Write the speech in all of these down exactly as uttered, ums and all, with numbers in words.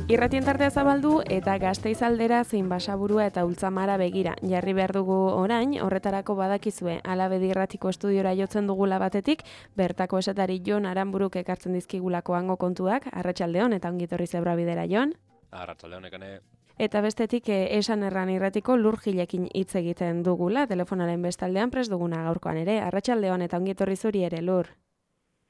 Irratien tartea zabaldu eta Gasteiz aldera zein Basaburua eta Ultzamara begira. Jarri behar dugu orain, horretarako badakizue, Alabedi irratiko estudiora jotzen dugula batetik, bertako esatari Jon Aranburuk ekartzen dizkigulako hango kontuak, arratsaldeon eta ongitorri zebra bidera Jon. Arratsaldeon ekane. Eta bestetik eh, esan erran irratiko Lurgilekin hitz egiten dugula, telefonaren bestaldean prest duguna gaurkoan ere, arratsaldeon eta ongitorri zuri ere Lur.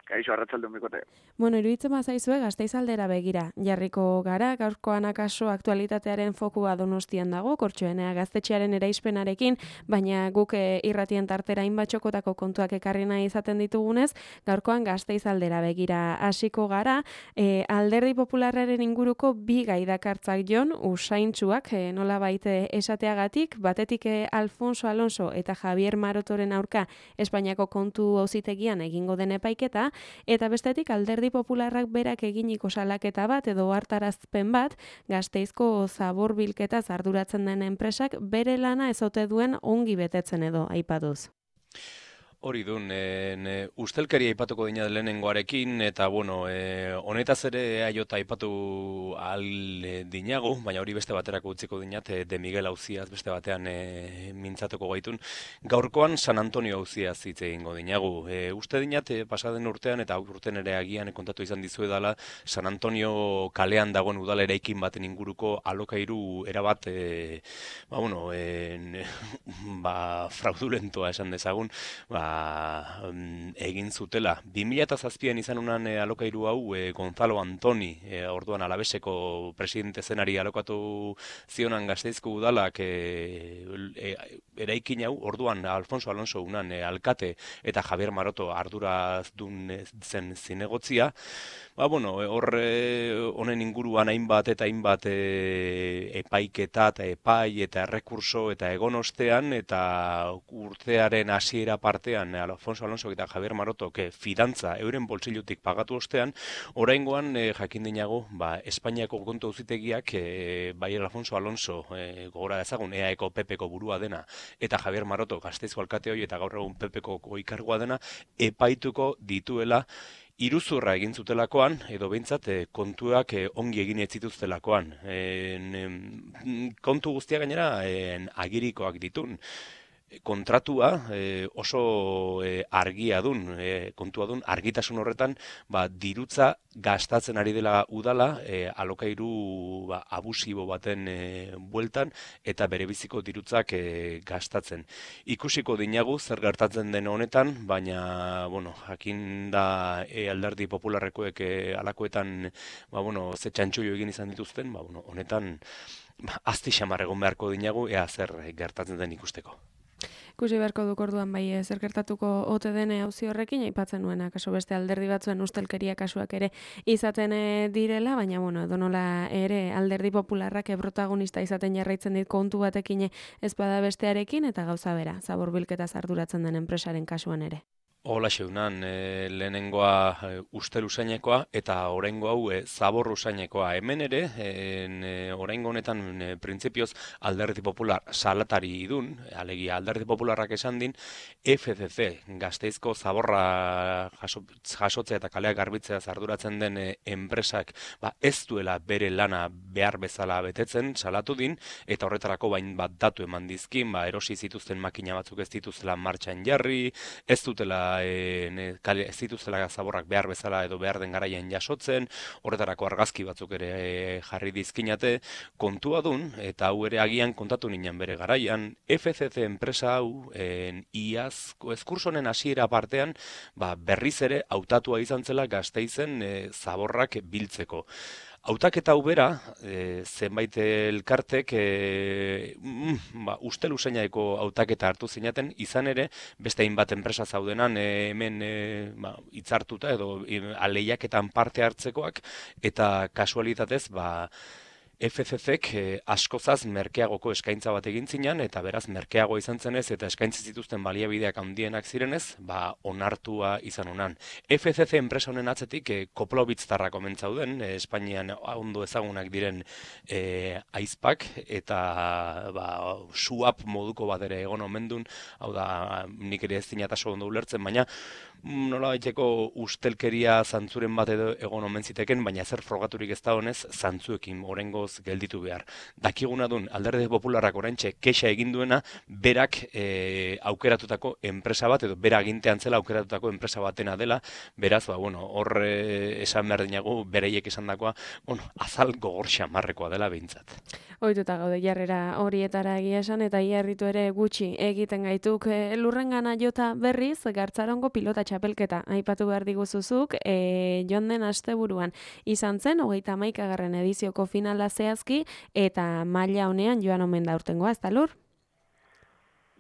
Kaixo, arratsaldeon bikote. Bueno, iruditzen bazaizue Gasteiz aldera begira. Jarriko gara, gaurkoan akaso aktualitatearen fokua Donostian dago, Kortxoenea gaztetxearen eraispenarekin, baina guk e, irratien tartera hainbatxokotako kontuak ekarri nahi izaten ditugunez, gaurkoan Gasteiz aldera begira hasiko gara, e, Alderdi Popularraren inguruko bi gai dakartzak Jon, usaintsuak, e, nola baite esateagatik, batetik e, Alfonso Alonso eta Javier Marotoren aurka Espainiako kontu auzitegian egingo den epaiketa, eta bestetik Alderdi Popularrak berak eginiko salaketa bat edo hartarazpen bat Gasteizko zaborbilketaz arduratzen den enpresak bere lana ez ote duen ongi betetzen edo aipatuz. Hori dun, e, ustelkeria aipatuko dina lehenengoarekin, eta bueno, e, honetaz ere aiota aipatu al e, dinagu, baina hori beste baterako utziko dinat, e, De Miguel auziaz beste batean e, mintzatuko gaitun. Gaurkoan San Antonio auziaz hitz egingo dinagu. E, uste dinat, e, pasaden urtean, eta urten ere agian kontatu izan dizuedala, San Antonio kalean dagoen udal eraikin baten inguruko alokairu erabat, e, ba, bueno, e, ba, fraudulentoa esan dezagun, ba, egin zutela. bi mila zazpian izan unan e, alokairu hau e, Gonzalo Antoni, e, orduan Alabeseko presidente zenari alokatu zionan Gasteizko udalak e, e, eraikin hau, orduan Alfonso Alonso unan e, alkate eta Javier Maroto arduradun e, zen zinegotzia. Ba, bueno, hor honen inguruan hainbat eta hainbat e, epaiketa eta epai eta errekurso eta egon ostean eta urtearen hasiera partean Alfonso Alonso eta Javier Maroto ke fidantza euren boltsilutik pagatu ostean, oraingoan e, jakin dinago, ba, Espainiako kontu auzitegiak e, bai Alfonso Alonso e, gogora dezagun E A Eko P Peko burua dena eta Javier Maroto Gasteizko alkate hori eta gaur egun P Peko goikargua dena epaituko dituela iruzurra egin zutelakoan, edo behintzat e, kontuak e, ongi egin ez zituztelakoan. E, kontu guztia gainera e, agirikoak ditun. Kontratua e, oso e, argia dun, e, kontua dun, argitasun horretan, ba, dirutza gastatzen ari dela udala, e, alokairu ba, abusibo baten e, bueltan, eta berebiziko dirutzak e, gastatzen. Ikusiko dinagu zer gertatzen den honetan, baina, bueno, jakin da e, Alderdi Popularrekoek e, alakoetan, ba, bueno, ze txantxoio egin izan dituzten, ba, bueno, honetan, ba, azti xamar egon beharko dinagu, ea zer gertatzen den ikusteko. Ikusi beharko duk orduan bai zer gertatuko ote dene auzi horrekin, aipatzen nuena, kaso beste alderdi batzuen ustelkeria kasuak ere izaten direla, baina bueno, edonola ere Alderdi Popularrak protagonista izaten jarraitzen dit kontu batekin ez bada bestearekin, eta gauza bera, zaborbilketaz arduratzen den enpresaren kasuan ere. Hola xeunan, e, lehenengoa e, ustel usainekoa eta oraingo hau e, zabor usainekoa. Hemen ere, e, oraingo honetan e, printzipioz Alderdi Popular salatari idun, alegia Alderdi Popularrak esan din, F C C, Gasteizko zaborra jaso, jasotzea eta kaleak garbitzea arduratzen den e, enpresak, ba, ez duela bere lana behar bezala betetzen, salatu din, eta horretarako bain bat datu eman dizkin, ba, erosi zituzten makina batzuk ez dituzela martxan jarri, ez dutela E, ne, kale, ez dituzela zaborrak behar bezala edo behar den garaian jasotzen, horretarako argazki batzuk ere e, jarri dizkinate, kontua dun, eta hau ere agian kontatu ninen bere garaian, F C C enpresa hau en, iazko eskursonen hasiera partean, ba, berriz ere hautatua izan zela Gasteizen e, zaborrak biltzeko. Hautaketa hau bera, e, zenbait elkartek e, mm, ba, ustel usainaeko hautaketa hartu zinaten, izan ere, beste hainbat enpresa zaudenan e, hemen e, ba, hitzartuta edo e, aleiaketan parte hartzekoak, eta kasualitatez, ba, F C Cek eh, askozaz merkeagoko eskaintza bat egin zinan, eta beraz merkeago izan zenez eta eskaintzi zituzten baliabideak handienak zirenez, ba onartua izan unan. F C C enpresa honen atzetik eh, Koplobitztarrak omentzauden, eh, Espainian ondo ezagunak diren eh, aizpak, eta ba, suap moduko bat ere egon omendun, hau da nik ere ez dinataso ondo ulertzen, baina nola baiteko ustelkeria zantzuren bat edo egon omen ziteken, baina zer frogaturik ez da honez, zantzuekin orengoz gelditu behar. Dakiguna dun, Alderdi Popularrak oraintxe kexa egin duena, berak e, aukeratutako enpresa bat, edo bera agintean zela aukeratutako enpresa batena dela, beraz, ba, bueno, hor e, esan behar dinagu, bereiek esan dakoa, bueno, azal gogor xamarrekoa dela behintzat. Ohituta gaude jarrera horietara egia esan, eta iarritu ere gutxi egiten gaituk e, lurrengana jota berriz, Gartzarongo pilota txapelketa aipatu behar diguzuzuk, e, joan den asteburuan izan zen, hogeita hamaikagarren edizioko finala zehazki, eta maila honean joan omen da urtengoa, ez da Lur?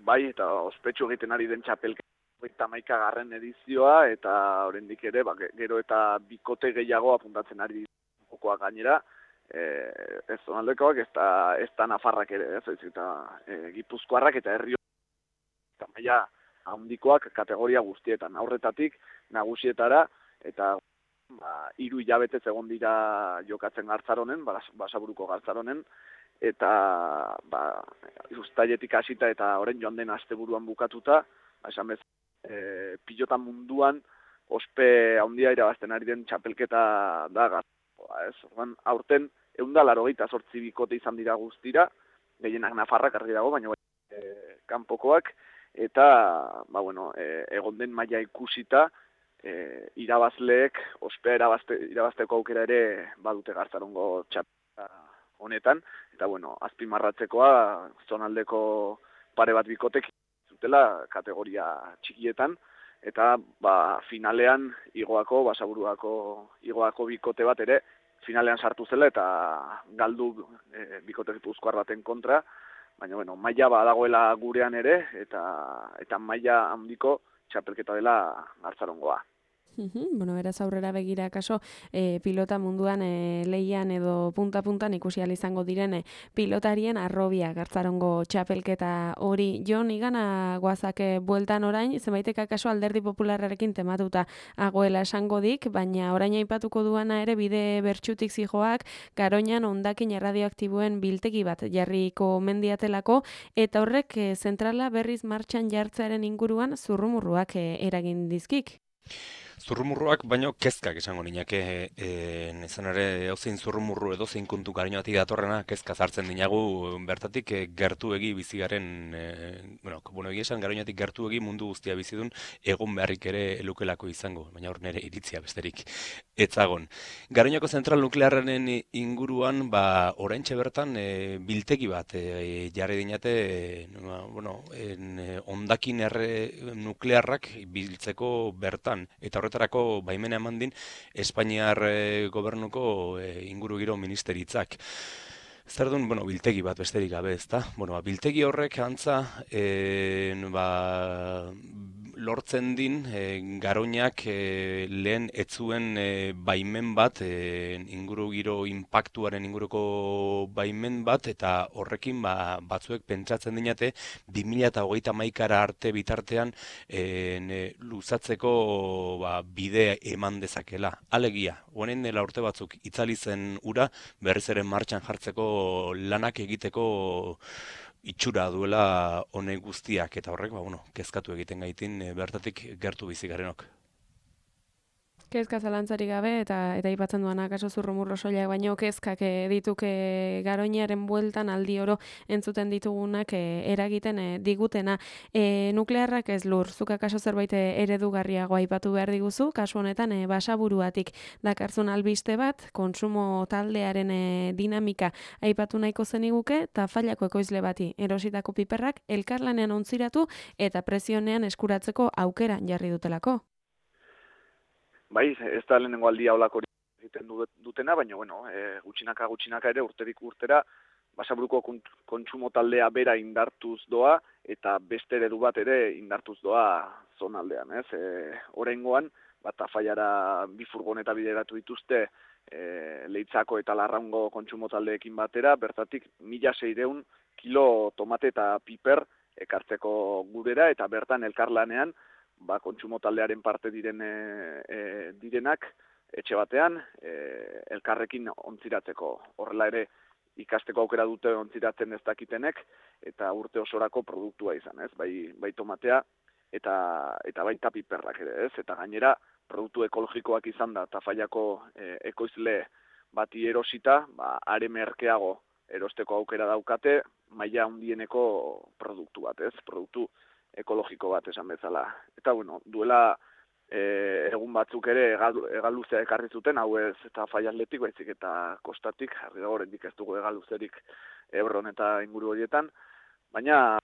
Bai, eta ospetsu egiten ari den txapelketa hogeita hamaikagarren edizioa, eta oraindik ere, ba, gero eta bikote gehiago apuntatzen ari jokoak gainera, e, ez zonaldekoak, ez da, ez da Nafarrak ere, ez, ez eta e, Gipuzkoarrak eta herri eta maila handikoak kategoria guztietan, aurretatik nagusietara, eta ba, hiru hilabetez egon dira jokatzen Gartzaronen, Basaburuko Gartzaronen, eta ba, uztailetik hasita eta orain joan den asteburuan bukatuta, ba, esan bez, e, pilota munduan ospe handia irabazten ari den txapelketa da Gartzaroa, ez? Orduan, aurten ehun eta laurogeita zortzi bikote izan dira guztira, gehienak Nafarrak argi dago, baina e, kanpokoak, eta ba, bueno, e, egon den maila ikusita, e, irabazleek ospea irabazte, irabazteko aukera ere badute Gartzarongo txapelketa honetan, eta bueno, azpimarratzekoa zonaldeko pare bat bikotek zutela kategoria txikietan, eta ba, finalean igoako, Basaburuako igoako bikote bat ere finalean sartu zela eta galdu e, bikote gipuzkoar baten kontra, baina bueno, maila badagoela gurean ere, eta eta maila handiko txapelketa dela Gartzarongoa. Bueno, beraz aurrera begira kaso e, pilota munduan e, leian edo punta-puntan ikusi ahal izango diren e, pilotarien arrobia Gartzarongo txapelketa hori. Jon, igana guazake bueltan orain, zenbaitek akaso Alderdi Popularrarekin tematuta agoela esango dik, baina orain aipatuko duana ere bide bertxutik zijoak, Garoñan hondakin erradioaktiboen biltegi bat jarriko mendiatelako, eta horrek e, zentrala berriz martxan jartzearen inguruan zurrumurruak e, eragin dizkik. Zurrumurruak, baino kezkak esango niñake, e, izan ere, hauzein zurrumurru edo zein kontu Garoñatik datorrena, kezka zartzen dinagu, bertatik e, gertuegi bizigaren, e, bueno, bueno, egia esan Garoñatik gertuegi mundu guztia bizidun, egon beharrik ere elukelako izango, baina hor nere iritzia besterik etzagon. Garoñako zentral nuklearren inguruan, ba, oraintxe bertan, e, biltegi bat e, jarri dinate, e, bueno, en, e, hondakin erre nuklearrak biltzeko bertan, eta horretarako baimena eman din Espainiar e, gobernuko e, ingurugiro ministeritzak. Zer duen, bueno, biltegi bat besterik gabe, ezta? Bueno, ba, biltegi horrek antza e, ba, lortzen din e, Garoñak e, lehen etzuen e, baimen bat, e, ingurugiro inpaktuaren inguruko baimen bat, eta horrekin ba, batzuek pentsatzen dinate bi mila hogeita hamaikara arte bitartean e, ne, luzatzeko ba, bide eman dezakela. Alegia, honen dela urte batzuk itzali zen ura, berriz ere martxan jartzeko lanak egiteko itxura duela honek guztiak, eta horrek, ba, bueno, kezkatu egiten gaitin e, bertatik gertu bizi garenok. Kezka zalantzari gabe, eta eta aipatzen duana kaso zurrumurro soilak, baino kezkak e, dituk e, Garoñaren bueltan aldi oro entzuten ditugunak e, eragiten e, digutena. E, nuklearrak ez Lur, zuk akaso zerbait eredugarriago aipatu behar diguzu, kasu honetan e, Basaburuatik dakarzun albiste bat, kontsumo taldearen e, dinamika aipatu nahiko zeniguke, eta Fallako ekoizle bati erositako piperrak elkarlanean ontziratu eta presionean eskuratzeko aukera jarri dutelako. Bai, ez da lehenengo aldia holako egiten dutena, baina, bueno, e, gutxinaka gutxinaka ere urterik urtera, Basaburuko kontsumo taldea bera indartuz doa, eta beste eredu bat ere indartuz doa zonaldean, ez? E, Oraingoan, bat Tafallara bi furgoneta bideratu dituzte e, Leitzako eta Larraungo kontsumo taldeekin batera, bertatik mila seiehun kilo tomate eta piper ekartzeko gurera, eta bertan elkarlanean, ba, kontsumo taldearen parte diren e, e, direnak etxe batean e, elkarrekin ontziratzeko. Horrela ere ikasteko aukera dute ontziratzen ez dakitenek eta urte osorako produktua izan, ez? Bai, bai tomatea, eta eta baita piperrak ere, ez? Eta gainera produktu ekologikoak izan da Tafallako e, ekoizle bati erosita, ba are merkeago erosteko aukera daukate, maila handieneko produktu bat, ez? Produktu ekologiko bat esan bezala. Eta bueno, duela e, egun batzuk ere hegaluzea ekarri zuten, hau ez eta Tafalletik baizik eta kostatik, jarri da oraindik ez dugu hegaluzerik Ebron eta inguru horietan, baina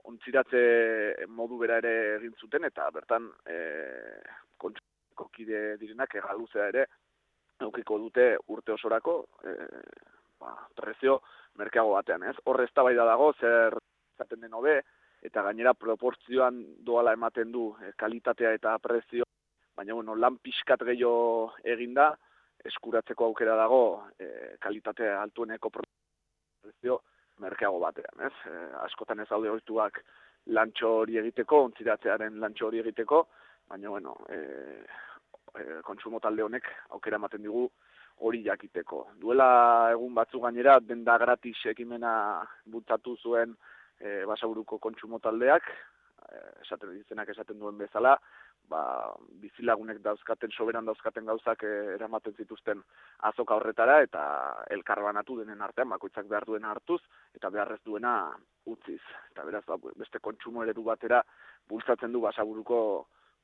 ontziratze modu bera ere egin zuten eta bertan e, kontsumo kide direnak hegaluzea ere aukiko dute urte osorako e, ba, prezio merkeago batean, ez? Hor eztabaida dago zer izaten den hobe eta gainera proportzioan doala ematen du e, kalitatea eta prezio, baina bueno, lan pixkat gehiago eginda eskuratzeko aukera dago e, kalitate altueneko prezio merkeago batean, ez? E, askotan ez daude ohituak lantxo hori egiteko, ontziratzearen lantxo hori egiteko, baina bueno, e, e, kontsumo talde honek aukera ematen digu hori jakiteko. Duela egun batzu gainera denda gratis ekimena bultzatu zuen e, Basaburuko kontsumo taldeak, e, esaten dizenak esaten duen bezala, ba, bizilagunek dauzkaten, soberan dauzkaten gauzak e, eramaten zituzten azoka horretara eta elkarbanatu denen artean, bakoitzak behar duena hartuz eta beharrez duena utziz. Eta beraz, ba, beste kontsumo eredu batera bultzatzen du Basaburuko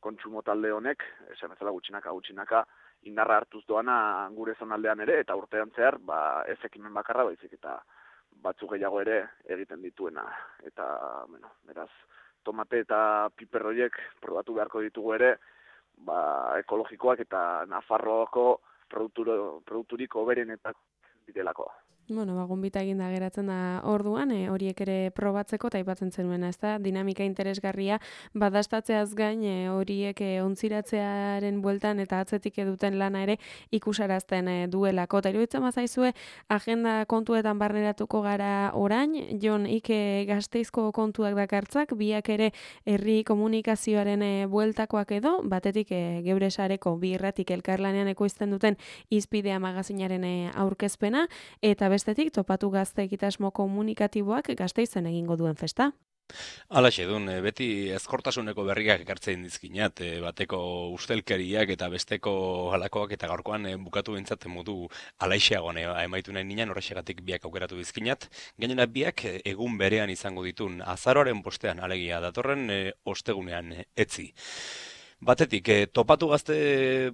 kontsumo talde honek, esan bezala gutxinaka gutxinaka indarra hartuz doana gure zonaldean ere, eta urtean zehar, ba, ez ekimen bakarra baizik eta batzuk gehiago ere egiten dituena. Eta, bueno, beraz, tomate eta piper horiek probatu beharko ditugu ere, ba, ekologikoak eta Nafarroako produkturik hoberenetak direlako. Bueno, ba, gonbita eginda geratzen da orduan, e, horiek ere probatzeko eta aipatzen zenuena, ez da, dinamika interesgarria badastatzeaz gain e, horiek e, ontziratzearen bueltan eta atzetik eduten lana ere ikusarazten e, duelako. Eta iruditzen bazaizue, agenda kontuetan barneratuko gara orain, Jon Ike Gasteizko kontuak dakartzak, biak ere herri komunikazioaren e, bueltakoak edo, batetik e, geure sareko bi irratik elkarlanean ekoizten duten Izpidea magazinaren e, aurkezpena, eta bestetik topatu gazte egitasmo komunikatiboak Gasteizen egingo duen festa. Halaxe dun, beti ezkortasuneko berriak ekartzen dizkinat, bateko ustelkeriak eta besteko halakoak eta gaurkoan bukatu bintzat modu alaixeagoan emaitu nahi ninan, horrexegatik biak aukeratu dizkinat. Gainera biak egun berean izango ditun azaroaren bostean, alegia datorren ostegunean etzi. Batetik, eh, topatu gazte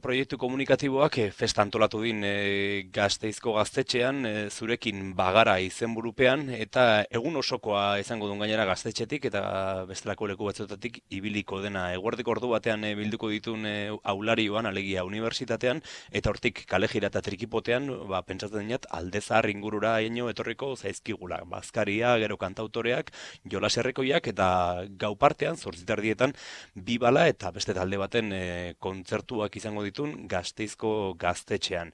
proiektu komunikatiboak eh, festa antolatu din eh, Gasteizko gaztetxean, eh, zurekin bagara izenburupean, eta egun osokoa izango duen gainera gaztetxetik, eta bestelako leku batzuetatik ibiliko dena. Eguerdik ordu batean eh, bilduko ditun eh, aularioan, alegia unibertsitatean, eta hortik kalejira eta trikipotean, ba, pentsatzen dinat, aldezar ingurura eno etorriko zaizkigula. Bazkaria, gero kantautoreak, jolaserrekoiak, eta gau partean, zortzitardietan, bi bala eta beste talde baten e, kontzertuak izango ditun Gasteizko gaztetxean.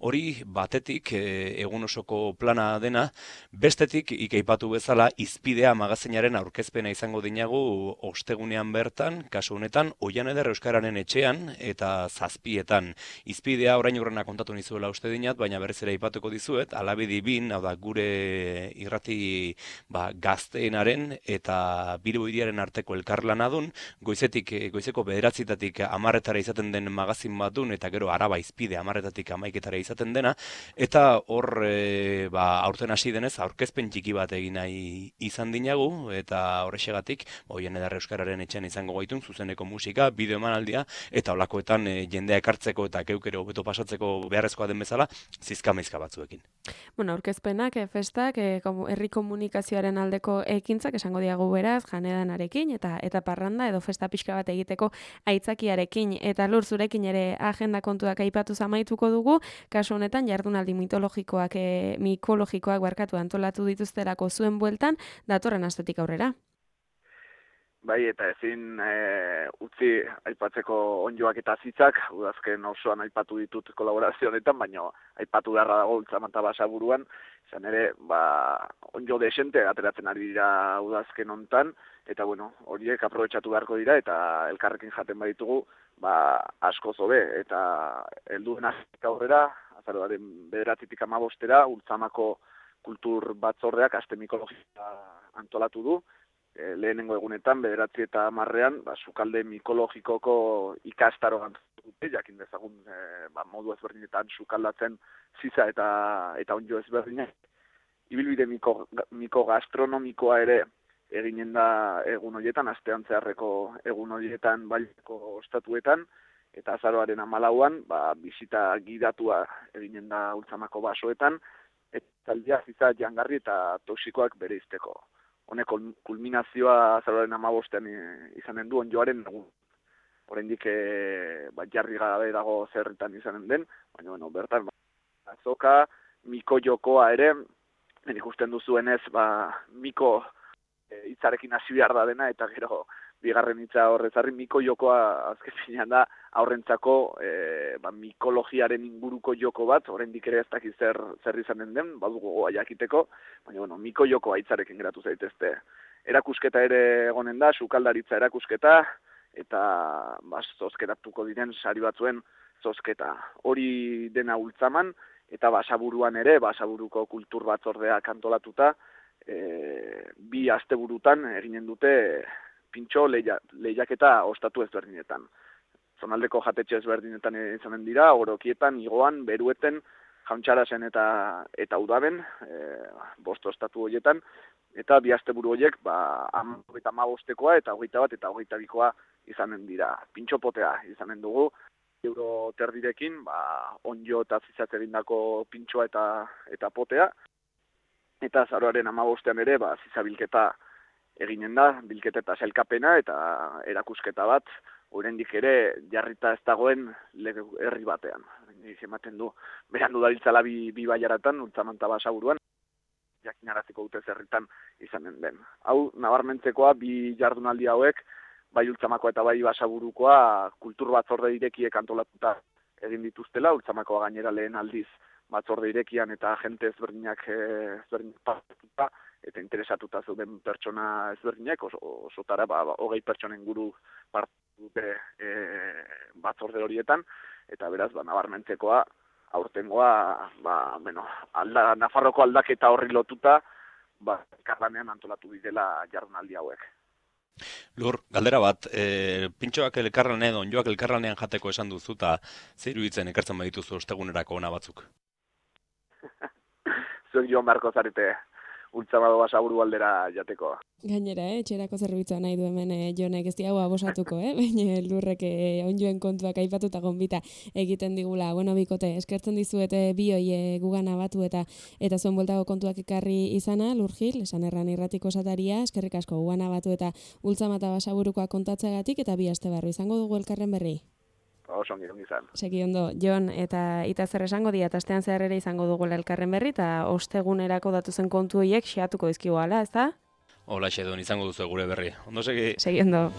Hori batetik e, egun osoko plana dena, bestetik ikeipatu bezala Izpidea magazinaren aurkezpena izango dinagu ostegunean bertan, kasu honetan, Oian Eder Euskararen etxean eta zazpietan. Izpidea orain urrena kontatu nizuela uste dinat, baina berriz ere aipatuko dizuet, alabedi bin, hau da gure irrati ba, gazteenaren eta Bilboiriaren arteko elkarlana dun, goizetik, goizeko bederatzita amarretara izaten den magazin bat dun, eta gero Araba Izpide amarretatik amaiketara izaten dena, eta hor e, ba, aurten hasi denez aurkezpen txiki bat egin nahi izan dinagu, eta horrexegatik Oian Eder Euskararen etxean izango gaitun, zuzeneko musika, bideo emanaldia, eta holakoetan e, jendea ekartzeko eta keukero hobeto pasatzeko beharrezkoa den bezala, zizka-meizka batzuekin. Bueno, aurkezpenak, e, festak, e, herri komunikazioaren aldeko ekintzak esango diagu beraz, janedanarekin, eta eta parranda edo festa pixka bat egiteko aitzakiarekin, eta Lur zurekin ere agenda kontuak aipatu amaituko dugu, kasu honetan jardunaldi mitologikoak, e, mikologikoak barkatu antolatu dituzterako zuen bueltan, datorren astetik aurrera. Bai, eta ezin e, utzi aipatzeko onjoak eta zitzak, udazken osoan aipatu ditut kolaborazio honetan, baina aipatu beharra dago Ultzamanta Basaburuan, izan ere, ba, onjo desente ateratzen ari dira udazken hontan, eta bueno, horiek aprobetxatu beharko dira, eta elkarrekin jaten baditugu, ba, asko zobe, eta helduen azik aurrera, azaroaren bederatzitik amabostera, Ultzamako kultur batzordeak aste mikologikoa antolatu du, e, lehenengo egunetan, bederatzi eta hamarrean, ba, sukalde mikologikoko ikastaro dute, jakin dezagun e, ba, modu ezberdinetan sukaldatzen ziza eta eta onjo ezberdinak. Ibilbide miko, miko gastronomikoa ere eginen da egun horietan, astean zeharreko egun horietan baileko ostatuetan, eta azaroaren hamalauan, ba, bisita gidatua eginen da Ultzamako basoetan, eta taldia ziza jangarri eta toxikoak bereizteko. Honek kulminazioa azaroaren hamabostean izanen du onjoaren egun. Oraindik e, ba, jarri gabe dago zerritan izanen den, baina bueno, bertan, ba, azoka, miko jokoa ere, nik ikusten duzuenez, ba, miko e, hitzarekin hasi behar da dena, eta gero bigarren hitza horrezarri, miko jokoa azken finean da aurrentzako e, ba, mikologiaren inguruko joko bat, oraindik ere ez dakit zer, zer izanen den, badugu gogoa jakiteko, baina bueno, miko jokoa hitzarekin geratu zaitezte. Erakusketa ere egonen da, sukaldaritza erakusketa, eta ba, zozkeratuko diren sari batzuen zozketa. Hori dena Ultzaman, eta Basaburuan ere, Basaburuko kultur batzordeak antolatuta, e, bi asteburutan eginen dute pintxo leia, lehiaketa ostatu ezberdinetan. Zonaldeko jatetxe ezberdinetan izanen dira, orokietan, igoan, berueten, jauntxarasen eta eta udaben, e, bost ostatu horietan, eta bi asteburu horiek, ba, hogeita hamabostekoa eta hogeita bat eta hogeita bikoa izanen dira. Pintxo potea izanen dugu, euro terdirekin, ba, onjo eta zizat egindako pintxoa eta eta potea, eta azaroaren hamabostean ere, ba, zizabilketa eginen da, bilketa eta sailkapena eta erakusketa bat, oraindik ere jarrita ez dagoen lege herri batean. Ematen du, berandu dabiltzala bi, bi baiaratan, Ultzaman eta Basaburuan, jakinaraziko dute zerritan izanen den. Hau, nabarmentzekoa, bi jardunaldi hauek, bai Ultzamakoa eta bai Basaburukoa kultur batzorde irekiek antolatuta egin dituztela, Ultzamakoa gainera lehen aldiz batzorde irekian eta jente ezberdinak ezberdinak partuta eta interesatuta zeuden pertsona ezberdinak, oso, osotara ba, hogei pertsonen guru partu dute e, batzorde horietan, eta beraz, ba, nabarmentzekoa, aurtengoa, ba, bueno, alda, Nafarroko aldaketa horri lotuta, ba, elkarlanean antolatu direla jardunaldi hauek. Lur, galdera bat, e, pintxoak elkarlanean, onjoak elkarlanean jateko esan duzu, eta zer iruditzen ekartzen badituzu ostegunerako ona batzuk? Zuek joan beharko zarete Ultzamako Basaburu aldera jateko. Gainera, eh, etxerako zerbitzua nahi du hemen eh, Jonek ez diago abosatuko, eh? Baina lurrek eh, onjoen kontuak aipatuta gonbita egiten digula. Bueno, bikote, eskertzen dizuete bi hoi eh, gugana batu eta eta zuen bueltako kontuak ekarri izana, Lurgil, esan erran irratiko sataria, eskerrik asko gugana batu eta Ultzama eta Basaburukoa kontatzeagatik eta bi aste barru izango dugu elkarren berri. Oso ongi izan. Segi ondo, Jon, eta ita zer esango dia, eta astean zehar ere izango dugu elkarren berri, eta ostegunerako datuzen kontu horiek xeatuko dizkigu ala, ez da? Hola, xedun, izango duzu gure berri. Ondo segi? Segi ondo.